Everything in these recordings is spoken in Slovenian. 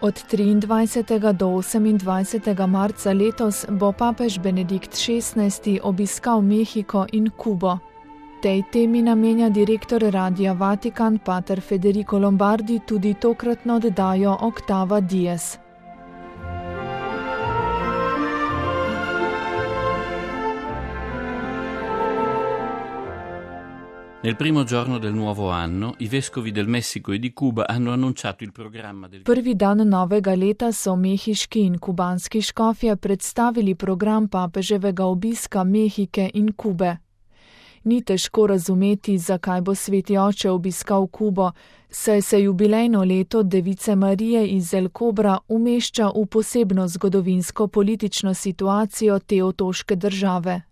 Od 23. do 28. marca letos bo papež Benedikt XVI. Obiskal Mehiko in Kubo. Tej temi namenja direktor Radia Vatikan pater Federico Lombardi tudi tokratno oddajo Octava Dies. Nel primo giorno del nuovo anno, i vescovi del Messico e di Cuba hanno annunciato il programma del... Prvi dan novega leta so mehiški in kubanski škofje predstavili program papeževega obiska Mehike in Kube. Ni težko razumeti, zakaj bo sveti oče obiskal Kubo, saj se jubilejno leto Device Marije iz El Cobra umešča v posebno zgodovinsko-politično situacijo te otoške države.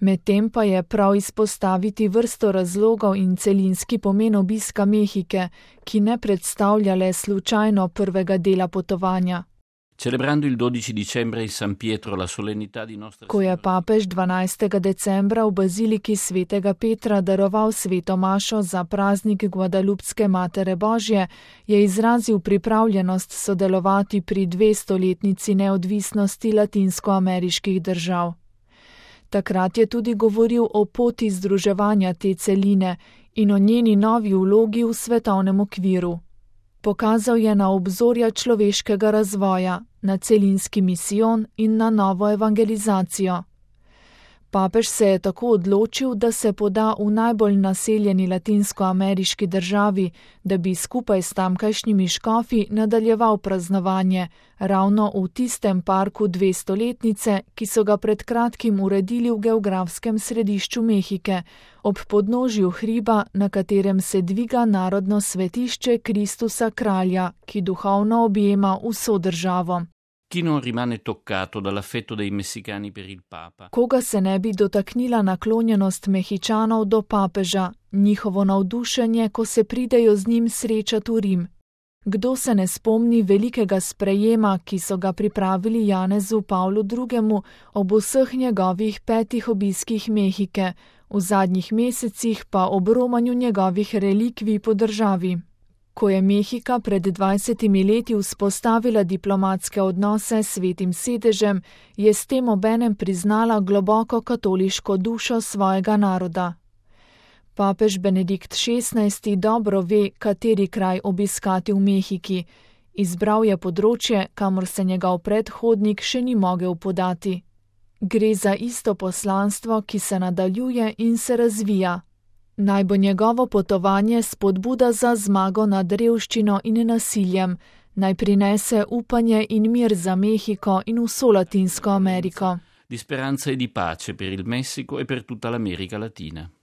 Medtem pa je prav izpostaviti vrsto razlogov in celinski pomen obiska Mehike, ki ne predstavlja le slučajno prvega dela potovanja. Celebrando il 12 dicembre in San Pietro la solennità di Nostra Ko je papež 12. decembra v baziliki svetega Petra daroval sveto mašo za praznik Guadalupske Matere Božje, je izrazil pripravljenost sodelovati pri 200-letnici neodvisnosti latinskoameriških držav. Takrat je tudi govoril o poti združevanja te celine in o njeni novi vlogi v svetovnem okviru. Pokazal je na obzorja človeškega razvoja, na celinski misijon in na novo evangelizacijo. Papež se je tako odločil, da se poda v najbolj naseljeni latinskoameriški državi, da bi skupaj s tamkajšnjimi škofi nadaljeval praznovanje, ravno v tistem parku 200-letnice, ki so ga pred kratkim uredili v geografskem središču Mehike, ob podnožju hriba, na katerem se dviga narodno svetišče Kristusa Kralja, ki duhovno objema vso državo. Chi non rimane toccato dall'affetto dei messicani per il Papa? Koga se ne bi dotaknila naklonjenost Mehičanov do papeža, njihovo navdušenje, ko se pridejo z njim srečati v Rim? Kdo se ne spomni velikega sprejema, ki so ga pripravili Janezu Pavlu II. Ob vseh njegovih 5 obiskih Mehike, v zadnjih mesecih pa ob romanju njegovih relikvij po državi? Ko je Mehika pred 20 leti vzpostavila diplomatske odnose s Svetim sedežem, je s tem obenem priznala globoko katoliško dušo svojega naroda. Papež Benedikt XVI. Dobro ve, kateri kraj obiskati v Mehiki. Izbral je področje, kamor se njegov predhodnik še ni mogel podati. Gre za isto poslanstvo, ki se nadaljuje in se razvija. Naj bo njegovo potovanje spodbuda za zmago nad revščino in nasiljem, naj prinese upanje in mir za Mehiko in vso Latinsko Ameriko. Di speranza e di pace per il Messico e per tutta l'America Latina.